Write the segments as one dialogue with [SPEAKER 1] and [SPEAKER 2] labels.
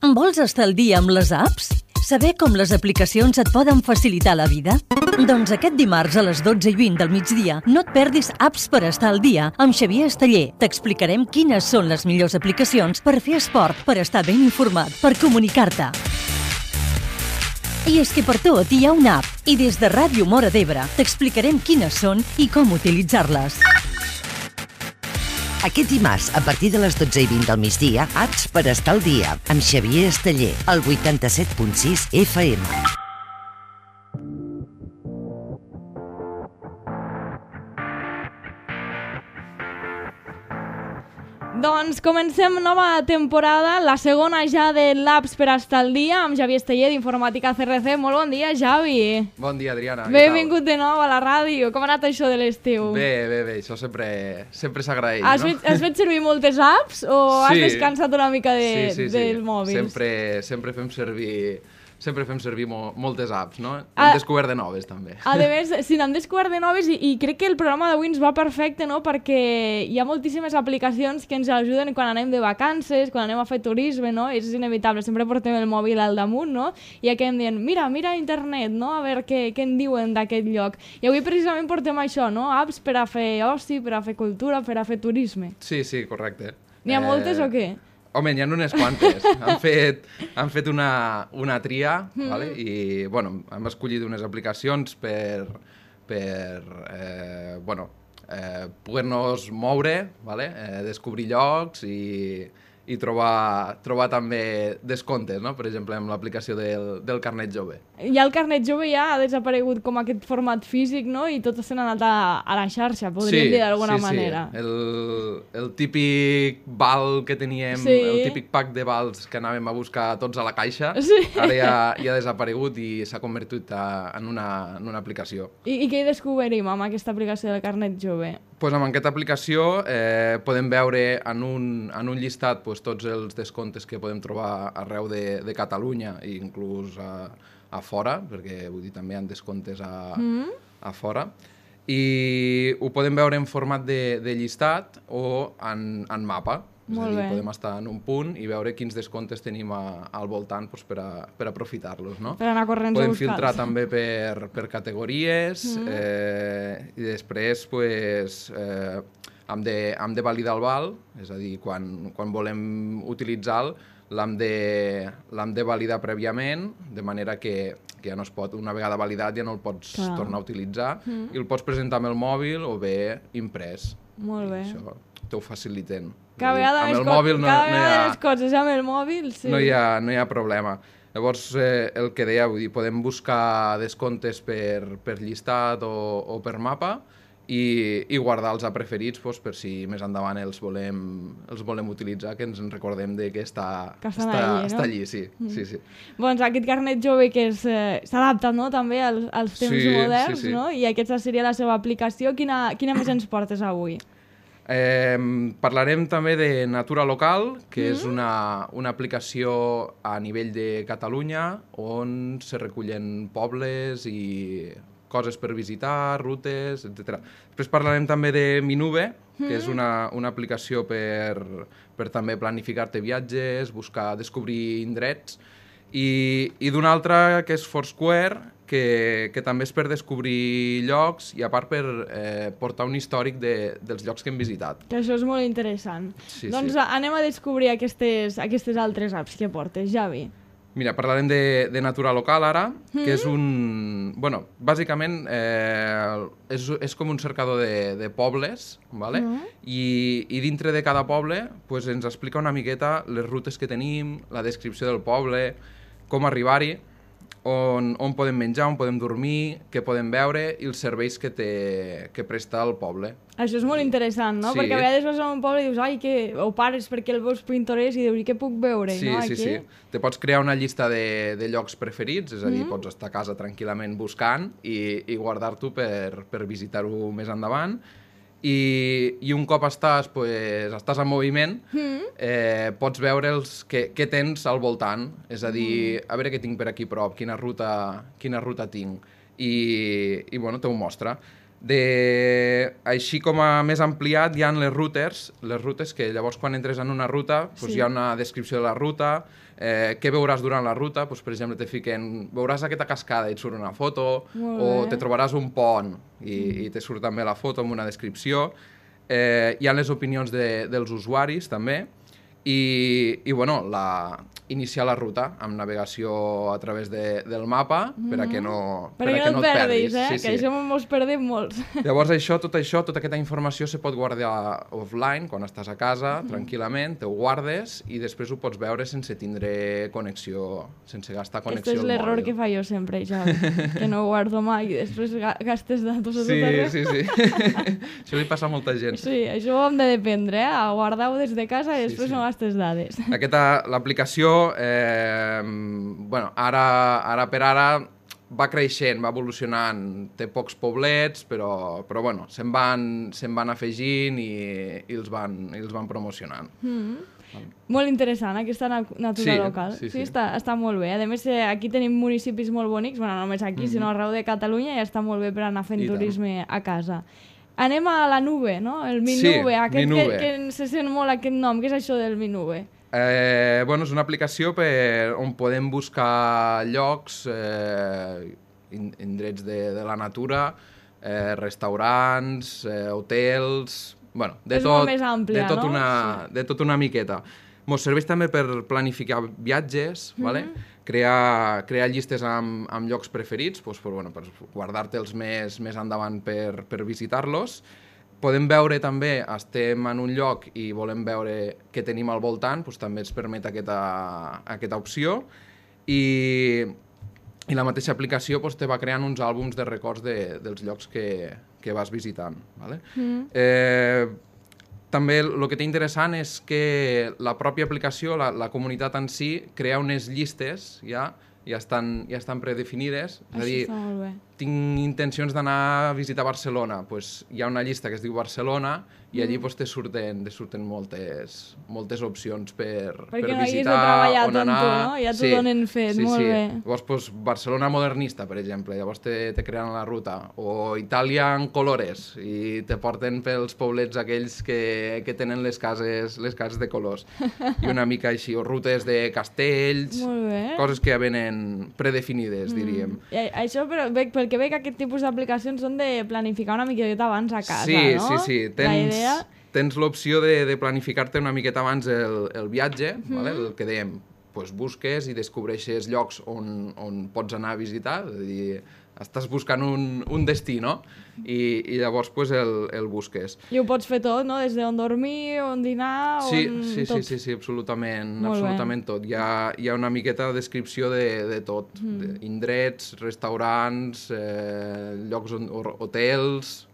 [SPEAKER 1] Vols estar al dia amb les apps? Saber com les aplicacions et poden facilitar la vida? Doncs aquest dimarts a les 12:20 del migdia no et perdis Apps per estar al dia amb Xavier Esteller. T'explicarem quines són les millors aplicacions per fer esport, per estar ben informat, per comunicar-te. I és que per tot hi ha una app i des de Ràdio Móra d'Ebre t'explicarem quines són i com utilitzar-les.
[SPEAKER 2] Aquest dimarts, a partir de les 12:20 del migdia, Apps per estar al dia, amb Xavier Esteller, al 87.6 FM.
[SPEAKER 3] Doncs comencem nova temporada, la segona ja de l'Apps per estar al dia, amb Xavier Esteller d'Informàtica CRC. Molt bon dia, Xavi.
[SPEAKER 4] Bon dia, Adriana.
[SPEAKER 3] Benvingut de nou a la ràdio. Com ha anat això de l'estiu?
[SPEAKER 4] Bé, això sempre s'agraeix,
[SPEAKER 3] has
[SPEAKER 4] no?
[SPEAKER 3] Has fet servir moltes apps o has descansat una mica dels mòbils?
[SPEAKER 4] Sempre fem servir moltes apps, no? Hem descobert de noves, també.
[SPEAKER 3] A més, sí, n'hem descobert de noves i crec que el programa d'avui ens va perfecte, no? Perquè hi ha moltíssimes aplicacions que ens ajuden quan anem de vacances, quan anem a fer turisme, no? És inevitable, sempre portem el mòbil al damunt, no? I acabem dient, mira internet, no? A veure què en diuen d'aquest lloc. I avui precisament portem això, no? Apps per a fer oci, per a fer cultura, per a fer turisme.
[SPEAKER 4] Sí, correcte.
[SPEAKER 3] N'hi ha moltes o què?
[SPEAKER 4] Home, n'hi ha unes quantes. Han fet una tria, vale? I bueno, hem escollit unes aplicacions per poder-nos moure, vale? Descobrir llocs i trobar també descomptes, no? Per exemple, amb l'aplicació del carnet jove.
[SPEAKER 3] Ja el carnet jove ja ha desaparegut com aquest format físic, no? I tot s'ha anat a la xarxa, podríem dir d'alguna manera.
[SPEAKER 4] El típic val que teníem, el típic pack de vals que anàvem a buscar tots a la caixa, ara ja ha desaparegut i s'ha convertit en una aplicació.
[SPEAKER 3] I què hi descobrim amb aquesta aplicació del carnet jove?
[SPEAKER 4] Doncs amb aquesta aplicació podem veure en un llistat tots els descomptes que podem trobar arreu de Catalunya i inclús a fora, perquè vull dir, també hi ha descomptes a fora. I ho podem veure en format de llistat o en mapa. És a dir, podem estar en un punt i veure quins descomptes tenim al voltant per aprofitar-los, no?
[SPEAKER 3] Per anar corrents a buscar-los.
[SPEAKER 4] Podem filtrar també per categories i després hem de validar el val, és a dir, quan volem utilitzar-lo l'hem de validar prèviament, de manera que ja no es pot, una vegada validat ja no el pots tornar a utilitzar i el pots presentar amb el mòbil o bé imprès.
[SPEAKER 3] Molt bé.
[SPEAKER 4] Això t'ho faciliten.
[SPEAKER 3] Cada vegada les coses amb el mòbil, sí.
[SPEAKER 4] No hi ha problema. Llavors, el que deia, vull dir, podem buscar descomptes per llistat o per mapa i guardar-los a preferits per si més endavant els volem utilitzar, que ens en recordem que està allí, sí.
[SPEAKER 3] Doncs aquest carnet jove que s'ha adaptat, no?, també als temps moderns, no? I aquesta seria la seva aplicació. Quina més ens portes avui?
[SPEAKER 4] Parlarem també de Natura Local, que és una aplicació a nivell de Catalunya on se recullen pobles i coses per visitar, rutes, etc. Després parlarem també de Minube, que és una aplicació per també planificar-te viatges, descobrir indrets, i d'una altra que és Foursquare, que també és per descobrir llocs i a part per portar un històric dels llocs que hem visitat.
[SPEAKER 3] Que això és molt interessant. Doncs anem a descobrir aquestes altres apps que portes, Javi.
[SPEAKER 4] Mira, parlarem de Natura Local ara, que és bueno, bàsicament és com un cercador de pobles, ¿vale? I dintre de cada poble ens explica una miqueta les rutes que tenim, la descripció del poble, com arribar-hi, on podem menjar, on podem dormir, què podem veure i els serveis que presta el poble.
[SPEAKER 3] Això és molt interessant, no? Perquè a vegades vas a un poble i dius, o pares perquè el veus pintoresc i dius, què puc veure?
[SPEAKER 4] Sí. Te pots crear una llista de llocs preferits, és a dir, pots estar a casa tranquil·lament buscant i guardar-t'ho per visitar-ho més endavant. I un cop estàs en moviment, pots veure què tens al voltant, és a dir, a veure què tinc per aquí prop, quina ruta tinc, i bueno, t'ho mostra. Així com a més ampliat hi ha les rutes que llavors quan entres en una ruta doncs hi ha una descripció de la ruta, què veuràs durant la ruta, doncs, per exemple te fiquen, veuràs aquesta cascada i et surt una foto, o te trobaràs un pont i te surt també la foto amb una descripció. Hi ha les opinions dels usuaris també i bueno, iniciar la ruta amb navegació a través del mapa per a que no et perdis.
[SPEAKER 3] Que això mos perdem molts.
[SPEAKER 4] Llavors tota aquesta informació se pot guardar offline quan estàs a casa, tranquil·lament, te ho guardes i després ho pots veure sense tindre connexió, sense gastar connexió al mòbil.
[SPEAKER 3] Aquest és l'error que fa jo sempre, Javi, que no ho guardo mai i després gastes datos a tot arreu.
[SPEAKER 4] Sí. Això li passa a molta gent.
[SPEAKER 3] Sí, això ho hem de dependre, a guardar-ho des de casa i després no gastes dades.
[SPEAKER 4] L'aplicació bueno, ara per ara va creixent, va evolucionant, té pocs poblets, però bueno, se'n van afegint i els van promocionant.
[SPEAKER 3] Molt interessant, aquesta natura local. Sí, està molt bé. A més, aquí tenim municipis molt bonics, bueno, no només aquí, sinó arreu de Catalunya, i està molt bé per anar fent turisme a casa. Anem a la nube, no? El Minube, que se sent molt aquest nom. Què és això del Minube?
[SPEAKER 4] Bueno, és una aplicació on podem buscar llocs, indrets de la natura, restaurants, hotels... Bueno, de tot una miqueta. Ens serveix també per planificar viatges, crear llistes amb llocs preferits, per guardar-te'ls més endavant per visitar-los. Podem veure també, estem en un lloc i volem veure què tenim al voltant, també ens permet aquesta opció. I la mateixa aplicació te va creant uns àlbums de records dels llocs que vas visitant. També el que té interessant és que la pròpia aplicació, la comunitat en si, crea unes llistes ja estan predefinides. És a dir, tinc intencions d'anar a visitar Barcelona, doncs hi ha una llista que es diu Barcelona i allí te surten moltes opcions per visitar,
[SPEAKER 3] perquè no haguis de treballar tant tu, no? Ja t'ho donen fet, molt bé.
[SPEAKER 4] Llavors, Barcelona modernista, per exemple, llavors te creen la ruta, o Itàlia en colores, i te porten pels poblets aquells que tenen les cases de colors, i una mica així, o rutes de castells, coses que ja venen predefinides, diríem.
[SPEAKER 3] Això, però, pel que veig, aquest tipus d'aplicacions són de planificar una miqueta abans a casa, no?
[SPEAKER 4] Sí. Tens l'opció de planificar-te una miqueta abans el viatge, el que dèiem, busques i descobreixes llocs on pots anar a visitar, és a dir, estàs buscant un destí, no? I llavors el busques.
[SPEAKER 3] I ho pots fer tot, no? Des d'on dormir, on dinar, tot.
[SPEAKER 4] Sí, absolutament tot. Hi ha una miqueta de descripció de tot, indrets, restaurants, llocs, hotels...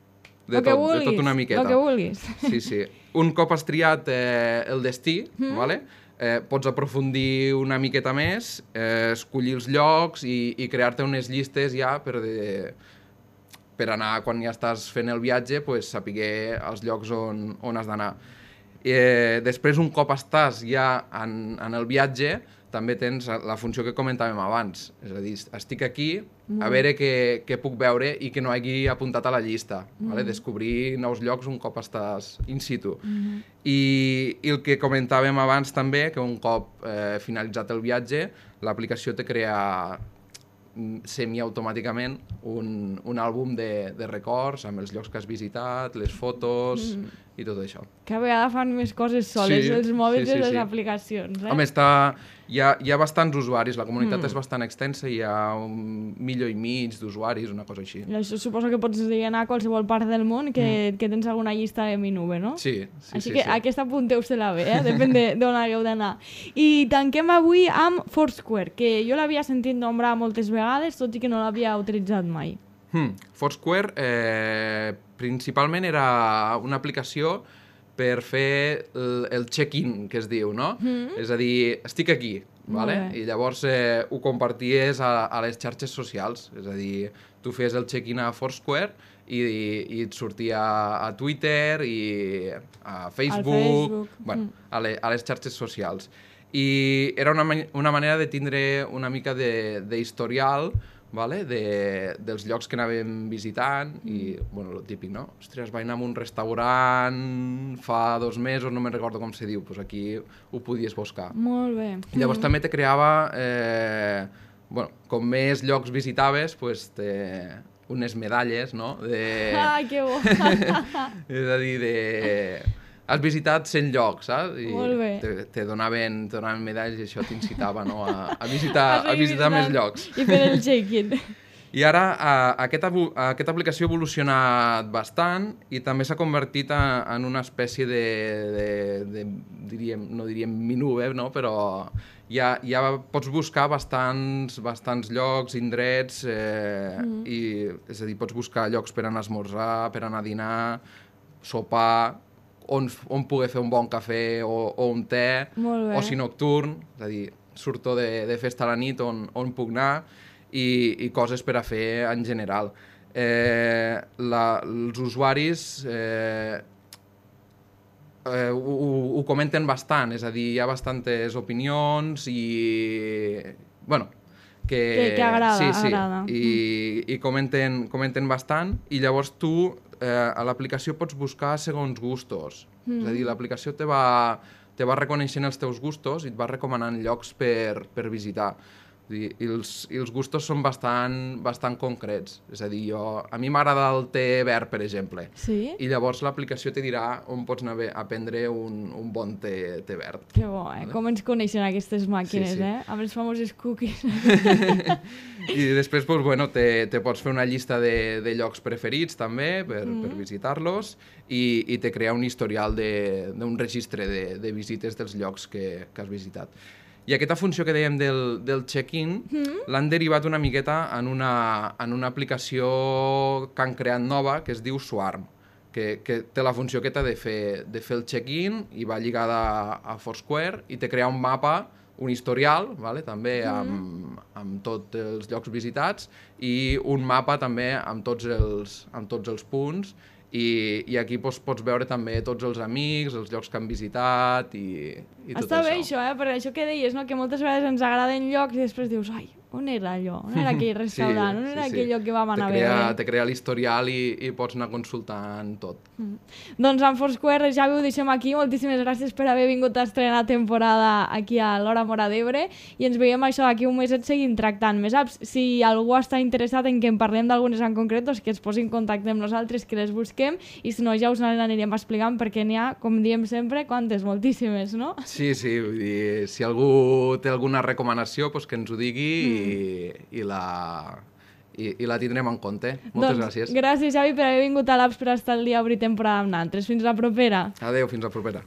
[SPEAKER 4] De tot una miqueta.
[SPEAKER 3] El que vulguis.
[SPEAKER 4] Sí. Un cop has triat el destí, pots aprofundir una miqueta més, escollir els llocs i crear-te unes llistes ja per anar, quan ja estàs fent el viatge, saber els llocs on has d'anar. Després, un cop estàs ja en el viatge, també tens la funció que comentàvem abans. És a dir, estic aquí, a veure què puc veure i que no hagi apuntat a la llista. Descobrir nous llocs un cop estàs in situ. I el que comentàvem abans també, que un cop finalitzat el viatge, l'aplicació te crea semiautomàticament un àlbum de records amb els llocs que has visitat, les fotos i tot això.
[SPEAKER 3] Cada vegada fan més coses soles els mòbils i les aplicacions.
[SPEAKER 4] Home, hi ha bastants usuaris, la comunitat és bastant extensa i hi ha 1,5 milió d'usuaris, una cosa així.
[SPEAKER 3] I això suposo que pots anar a qualsevol part del món que tens alguna llista de Minube, no?
[SPEAKER 4] Sí.
[SPEAKER 3] Així que aquesta apunteu-se-la bé, depèn d'on hagueu d'anar. I tanquem avui amb Foursquare, que jo l'havia sentit nombrar moltes vegades, tot i que no l'havia utilitzat mai.
[SPEAKER 4] Foursquare principalment era una aplicació per fer el check-in, que es diu, no? És a dir, estic aquí, i llavors ho comparties a les xarxes socials, és a dir, tu feies el check-in a Foursquare i et sortia a Twitter i a Facebook, a les xarxes socials. I era una manera de tindre una mica d'historial vale? Dels llocs que anàvem visitant i, bueno, el típic, no? Ostres, vaig anar a un restaurant fa 2 mesos, no me'n recordo com se diu, doncs aquí ho podies buscar.
[SPEAKER 3] Molt bé.
[SPEAKER 4] Llavors també te creava, bueno, com més llocs visitaves, doncs unes medalles, no?
[SPEAKER 3] Ah, que bo!
[SPEAKER 4] És a dir, has visitat 100 llocs, saps? I
[SPEAKER 3] molt bé.
[SPEAKER 4] te donaven medalles i això t'incitava, no? a visitar més llocs.
[SPEAKER 3] I fer el check-in.
[SPEAKER 4] I ara aquesta aplicació ha evolucionat bastant i també s'ha convertit en una espècie no diríem mini-web, no? Però ja pots buscar bastants llocs, indrets, i, és a dir, pots buscar llocs per anar a esmorzar, per anar a dinar, sopar, on poder fer un bon cafè o un te, oci nocturn, és a dir, surto de festa a la nit on puc anar, i coses per a fer en general. Els usuaris ho comenten bastant, és a dir, hi ha bastantes opinions i, bueno,
[SPEAKER 3] que agrada.
[SPEAKER 4] I comenten bastant, i llavors tu a l'aplicació pots buscar segons gustos. És a dir, l'aplicació te va reconeixent els teus gustos i et va recomanant llocs per visitar. I els gustos són bastant concrets. És a dir, a mi m'agrada el te verd, per exemple.
[SPEAKER 3] Sí?
[SPEAKER 4] I llavors l'aplicació te dirà on pots anar a prendre un bon te verd.
[SPEAKER 3] Que bo, Com ens coneixen aquestes màquines, Amb els famosos cookies.
[SPEAKER 4] I després, doncs, bueno, te pots fer una llista de llocs preferits, també, per visitar-los, i te crea un historial d'un registre de visites dels llocs que has visitat. I aquesta funció que dèiem del check-in l'han derivat una miqueta en una aplicació que han creat nova que es diu Swarm, que té la funció aquesta de fer el check-in i va lligada a Foursquare i te crea un mapa, un historial, també amb tots els llocs visitats i un mapa també amb tots els punts. I aquí pots veure també tots els amics, els llocs que han visitat i tot això.
[SPEAKER 3] Està bé això, per això que deies, que moltes vegades ens agraden llocs i després dius, ai, on era allò? On era aquell restaurant? On era aquell lloc que vam anar a veure?
[SPEAKER 4] Te crea l'historial i pots anar consultant tot.
[SPEAKER 3] Doncs amb Foursquare ja ho deixem aquí. Moltíssimes gràcies per haver vingut a estrenar temporada aquí a l'Hora Móra d'Ebre i ens veiem això d'aquí un meset seguint tractant més apps. Si algú està interessat en que en parlem d'algunes en concret, doncs que es posi en contacte amb nosaltres, que les busquem, i si no ja us n'anirem explicant perquè n'hi ha, com diem sempre, quantes? Moltíssimes, no?
[SPEAKER 4] Sí, vull dir, si algú té alguna recomanació, doncs que ens ho digui i la tindrem en compte. Moltes gràcies.
[SPEAKER 3] Gràcies, Xavi, per haver vingut a l'Apps per estar el dia a obrir temporada amb nosaltres. Fins la propera.
[SPEAKER 4] Adéu, fins la propera.